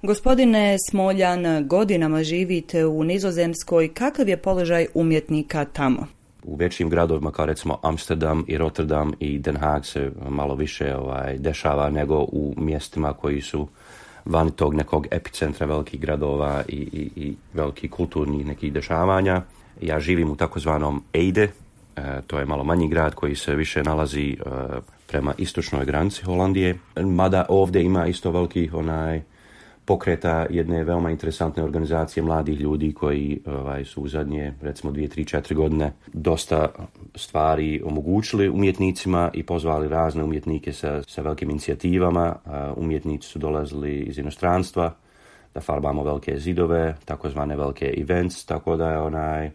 Gospodine Smoljan, godinama živite u Nizozemskoj. Kakav je položaj umjetnika tamo? U većim gradovima kao recimo Amsterdam i Rotterdam i Den Haag se malo više dešava nego u mjestima koji su van tog nekog epicentra velikih gradova i velikih kulturnih nekih dešavanja. Ja živim u takozvanom Ede, to je malo manji grad koji se više nalazi prema istočnoj granici Holandije, mada ovdje ima isto velikih pokreta jedne veoma interesantne organizacije mladih ljudi koji su u zadnje, recimo 2, 3, 4 godine dosta stvari omogućili umjetnicima i pozvali razne umjetnike sa velikim inicijativama. Umjetnici su dolazili iz inostranstva da farbamo velike zidove, takozvane velike events, tako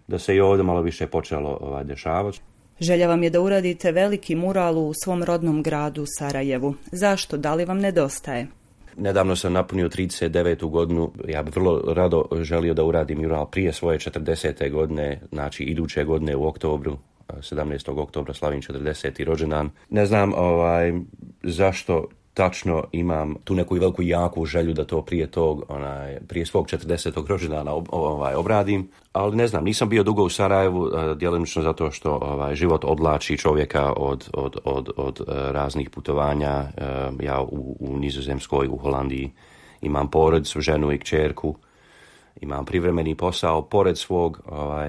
da se i ovdje malo više počelo dešavati. Želja vam je da uradite veliki mural u svom rodnom gradu Sarajevu. Zašto? Da li vam nedostaje? Nedavno sam napunio 39. godinu. Ja bih vrlo rado želio da uradim mural prije svoje 40. godine, znači iduće godine u oktobru, 17. oktobra slavim 40. rođendan. Ne znam zašto tačno imam tu neku veliku jaku želju da to prije svog 40. rođendana obradim, ali ne znam, nisam bio dugo u Sarajevu, djelomično zato što život odlači čovjeka od raznih putovanja. Ja u Nizozemskoj, u Holandiji imam porodicu, ženu i kćerku, imam privremeni posao pored svog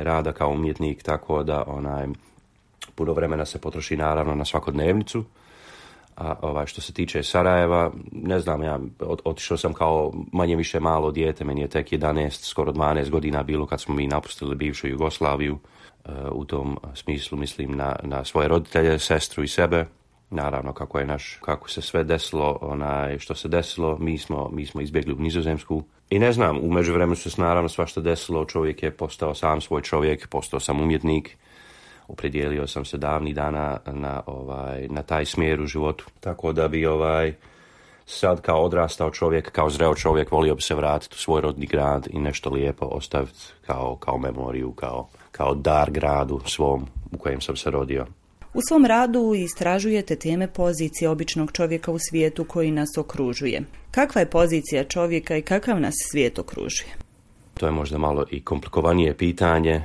rada kao umjetnik, tako da puno vremena se potroši naravno na svakodnevnicu. A što se tiče Sarajeva, ne znam, ja otišao sam kao manje više malo dijete, meni je tek 11, skoro 12 godina bilo kad smo mi napustili bivšu Jugoslaviju. U tom smislu mislim na svoje roditelje, sestru i sebe. Naravno kako se sve desilo, što se desilo, mi smo izbjegli u Nizozemsku. I ne znam, u međuvremenu se naravno svašta desilo, čovjek je postao sam svoj čovjek, postao sam umjetnik. Opredijelio sam se davnih dana na taj smjer u životu. Tako da bi sad kao odrastao čovjek, kao zreo čovjek, volio bi se vratiti u svoj rodni grad i nešto lijepo ostaviti kao memoriju, kao dar gradu svom u kojem sam se rodio. U svom radu istražujete teme pozicije običnog čovjeka u svijetu koji nas okružuje. Kakva je pozicija čovjeka i kakav nas svijet okružuje? To je možda malo i komplikovanije pitanje,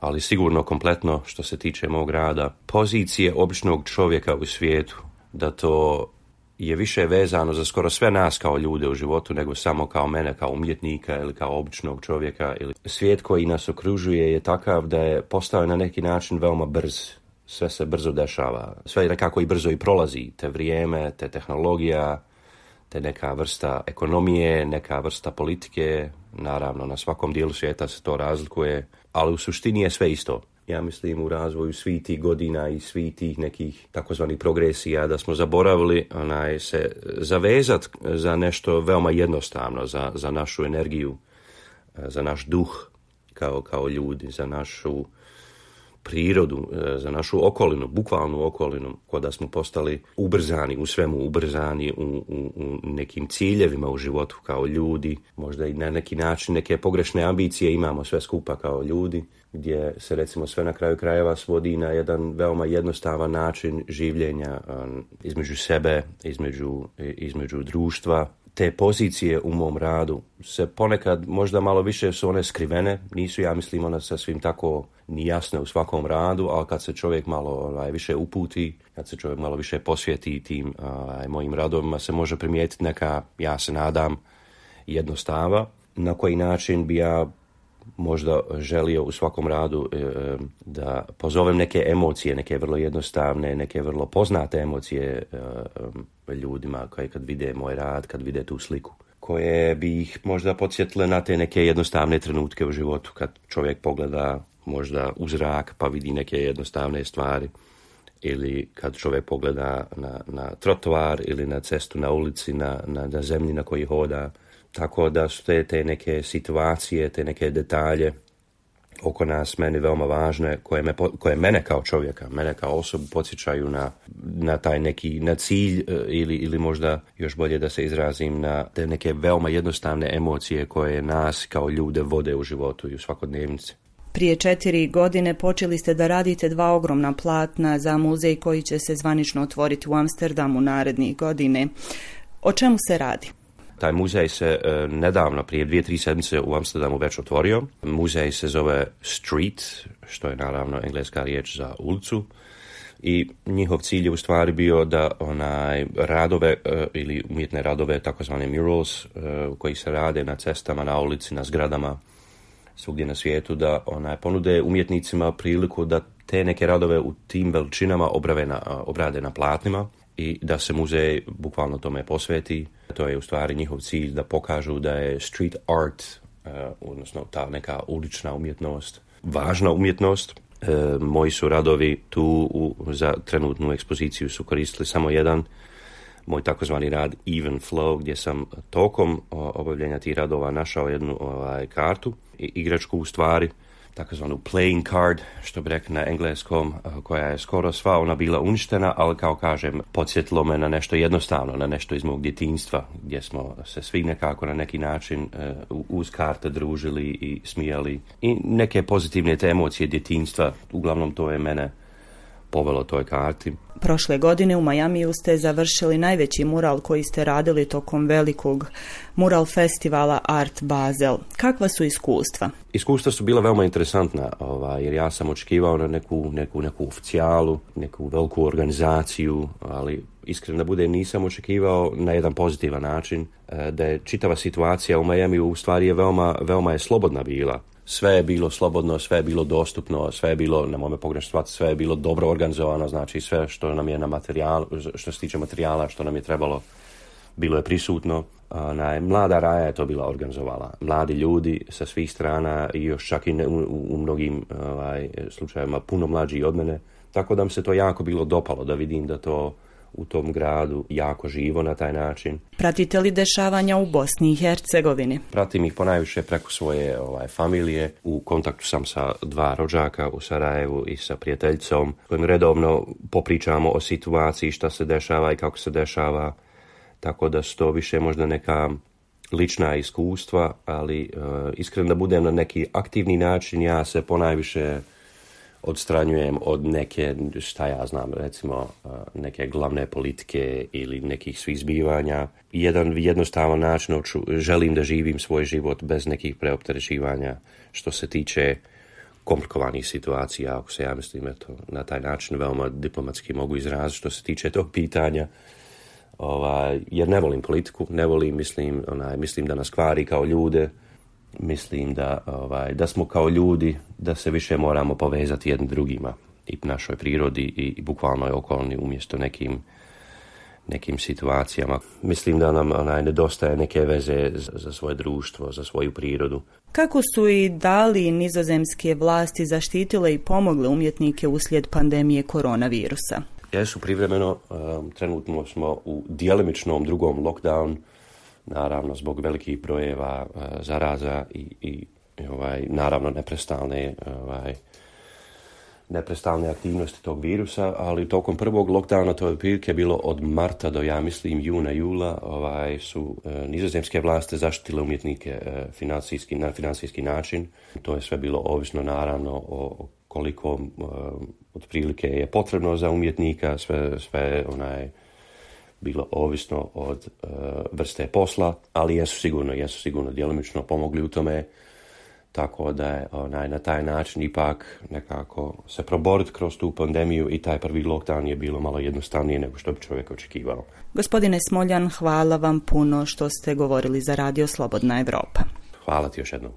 ali sigurno kompletno što se tiče mog rada. Pozicije običnog čovjeka u svijetu, da to je više vezano za skoro sve nas kao ljude u životu, nego samo kao mene, kao umjetnika ili kao običnog čovjeka. Svijet koji nas okružuje je takav da je postao na neki način veoma brz. Sve se brzo dešava, sve nekako i brzo i prolazi. Te vrijeme, te tehnologija, te neka vrsta ekonomije, neka vrsta politike. Naravno, na svakom dijelu svijeta se to razlikuje, ali u suštini je sve isto. Ja mislim u razvoju svih tih godina i svih tih nekih takozvanih progresija da smo zaboravili se zavezati za nešto veoma jednostavno, za našu energiju, za naš duh kao ljudi, za našu prirodu, za našu okolinu, bukvalnu okolinu, kao da smo postali ubrzani u svemu, ubrzani u nekim ciljevima u životu kao ljudi, možda i na neki način neke pogrešne ambicije imamo sve skupa kao ljudi, gdje se recimo sve na kraju krajeva svodi na jedan veoma jednostavan način življenja između sebe, između društva. Te pozicije u mom radu se ponekad možda malo više su one skrivene, nisu ja mislim one sasvim tako ni jasne u svakom radu, ali kad se čovjek malo više uputi, kad se čovjek malo više posvjeti tim mojim radovima, se može primijetiti neka, ja se nadam, jednostava na koji način bi ja možda želio u svakom radu da pozovem neke emocije, neke vrlo jednostavne, neke vrlo poznate emocije ljudima koji kad vide moj rad, kad vide tu sliku, koje bi ih možda podsjetile na te neke jednostavne trenutke u životu, kad čovjek pogleda možda u zrak pa vidi neke jednostavne stvari, ili kad čovjek pogleda na trotoar ili na cestu na ulici, na zemlji na kojoj hoda. Tako da su te neke situacije, te neke detalje oko nas meni veoma važne, koje mene kao čovjeka, mene kao osobu podsjećaju na taj neki na cilj ili možda još bolje da se izrazim na te neke veoma jednostavne emocije koje nas kao ljude vode u životu i u svakodnevnici. Prije 4 godine počeli ste da radite 2 ogromna platna za muzej koji će se zvanično otvoriti u Amsterdamu narednih godine. O čemu se radi? Taj muzej se nedavno, prije 2-3 sedmice u Amsterdamu već otvorio. Muzej se zove Street, što je naravno engleska riječ za ulicu. I njihov cilj je u stvari bio da radove ili umjetne radove, takozvane murals, koji se rade na cestama, na ulici, na zgradama, svugdje na svijetu, da ponude umjetnicima priliku da te neke radove u tim veličinama obrade na platnima i da se muzej bukvalno tome posveti. To je u stvari njihov cilj, da pokažu da je street art, odnosno ta neka ulična umjetnost, važna umjetnost. Moji su radovi tu za trenutnu ekspoziciju su koristili samo jedan, moj takozvani rad Even Flow, gdje sam tokom obavljenja tih radova našao jednu kartu, igračku u stvari, takozvanu playing card, što bi rekli na engleskom, koja je skoro sva ona bila uništena, ali kao kažem, podsjetilo me na nešto jednostavno, na nešto iz mog djetinjstva, gdje smo se svi nekako na neki način uz karte družili i smijali. I neke pozitivne te emocije djetinjstva, uglavnom to je mene povelo toj karti. Prošle godine u Majamiju ste završili najveći mural koji ste radili tokom velikog mural festivala Art Basel. Kakva su iskustva? Iskustva su bila veoma interesantna, jer ja sam očekivao na neku oficijalu, neku veliku organizaciju, ali iskreno da bude nisam očekivao na jedan pozitivan način, da je čitava situacija u Majamiju u stvari je veoma je slobodna bila. Sve je bilo slobodno, sve je bilo dostupno, sve je bilo, na mome pogrešno shvatiti, sve je bilo dobro organizovano, znači sve što nam je na materijalu, što se tiče materijala, što nam je trebalo, bilo je prisutno. Mlada Raja je to bila organizovala. Mladi ljudi sa svih strana i još čak i u mnogim slučajevima puno mlađi od mene. Tako da mi se to jako bilo dopalo da vidim da to u tom gradu jako živo na taj način. Pratite li dešavanja u Bosni i Hercegovini? Pratim ih ponajviše preko svoje familije. U kontaktu sam sa 2 rođaka u Sarajevu i sa prijateljicom, kojim redovno popričamo o situaciji, šta se dešava i kako se dešava. Tako da su to više možda neka lična iskustva, ali iskreno da budem na neki aktivni način, ja se ponajviše odstranjujem od neke, šta ja znam, recimo neke glavne politike ili nekih svih zbivanja. Jedan jednostavan način, želim da živim svoj život bez nekih preopterećivanja što se tiče komplikovanih situacija, ako se ja mislim na taj način veoma diplomatski mogu izraziti što se tiče tog pitanja. Jer ne volim politiku, ne volim, mislim da nas kvari kao ljude. Mislim da smo kao ljudi, da se više moramo povezati jednim drugima i našoj prirodi i bukvalnoj okolini umjesto nekim situacijama. Mislim da nam nedostaje neke veze za svoje društvo, za svoju prirodu. Kako su i da li nizozemske vlasti zaštitile i pomogle umjetnike uslijed pandemije koronavirusa? Jesu privremeno, trenutno smo u djelimičnom drugom lockdown, naravno zbog velikih brojeva zaraza i naravno neprestalne aktivnosti tog virusa, ali tokom prvog lockdowna, to je otprilike bilo od marta do, ja mislim, juna, jula, su nizozemske vlasti zaštitile umjetnike na financijski način. To je sve bilo ovisno naravno o koliko otprilike je potrebno za umjetnika, sve bilo ovisno od vrste posla, ali jesu sigurno djelomično pomogli u tome, tako da je na taj način ipak nekako se proboriti kroz tu pandemiju i taj prvi lockdown je bilo malo jednostavnije nego što bi čovjek očekivao. Gospodine Smoljan, hvala vam puno što ste govorili za Radio Slobodna Evropa. Hvala ti još jednom.